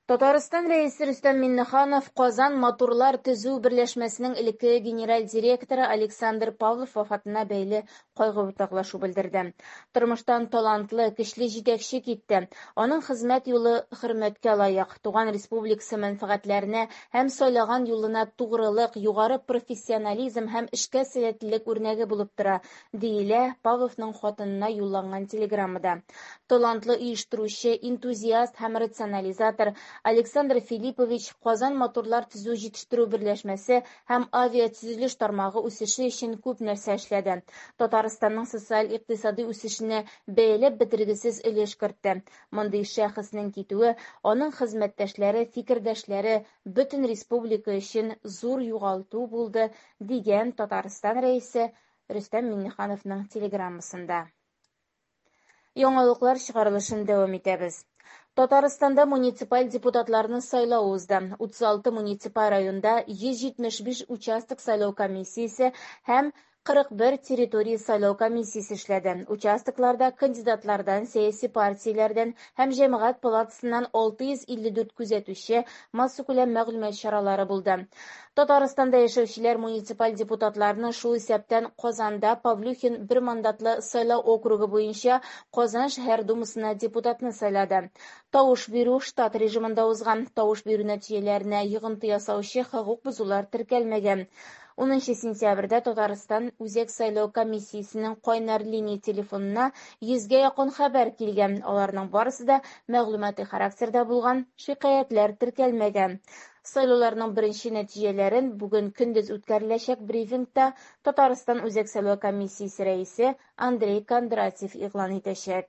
Татарстан Рәисе Рөстәм Миңнеханов Казан моторлар төзү берләшмәсенең элеккеге генераль директоры Александр Павлов вафатына бәйле кайгы уртаклашу белдерде. Тормыштан талантлы, көчле җитәкче китте. Аның хезмәт юлы хөрмәткә лаек. Туган республикасы мәнфәгатьләренә һәм сайлаган юлына тугрылык, югары профессионализм һәм эшкә сәләтлелек үрнәге булып тора, диелә Павловның хатынына юлланган телеграммада. Талантлы оештыручы, энтузиаст һәм рационализатор Александр Филиппович Казан моторлар төзү җитештерү берләшмәсе һәм авиатөзелеш тармагы үсеше өчен күп нәрсә эшләде. Татарстанның социаль-икътисадый үсешенә бәяләп бетергесез өлеш кертте. Мондый шәхеснең китүе аның хезмәттәшләре, фикердәшләре, бөтен республика өчен зур югалту булды, дигән Татарстан Рәисе Рөстәм Миңнехановның телеграммасында. Яңалыклар чыгарылышын дәвам итәбез. Татарстанда муниципаль депутатларны сайлау узды. 36 муниципаль районда 175 участок сайлау комиссиясе һәм 41 территория сайлау комиссиясе эшләде. Участокларда кандидатлардан, сәяси партияләрдән һәм җәмәгать палатасыннан 654 күзәтүче, массакүләм мәгълүмат чаралары булды. Татарстанда яшәүчеләр муниципаль депутатларны, шул исәптән Казанда Павлюхин бер мандатлы сайлау округы буенча Казан шәһәр думасына депутатны сайлады. Тавыш бирү штат режимында узган. Тавыш бирү нәтиҗәләренә йогынты ясаучы хокук бозулар теркәлмәгән. 10 сентябрьдә Татарстан Үзәк сайлау комиссиясенең кайнар линия телефонына 100гә якын хәбәр килгән. Аларның барысы да мәгълүмати характерда булган, шикаятьләр теркәлмәгән. Сайлауларның беренче нәтиҗәләрен бүген көндез үткәреләчәк брифингта Татарстан Үзәк сайлау комиссиясе рәисе Андрей Кондратьев игълан итәчәк.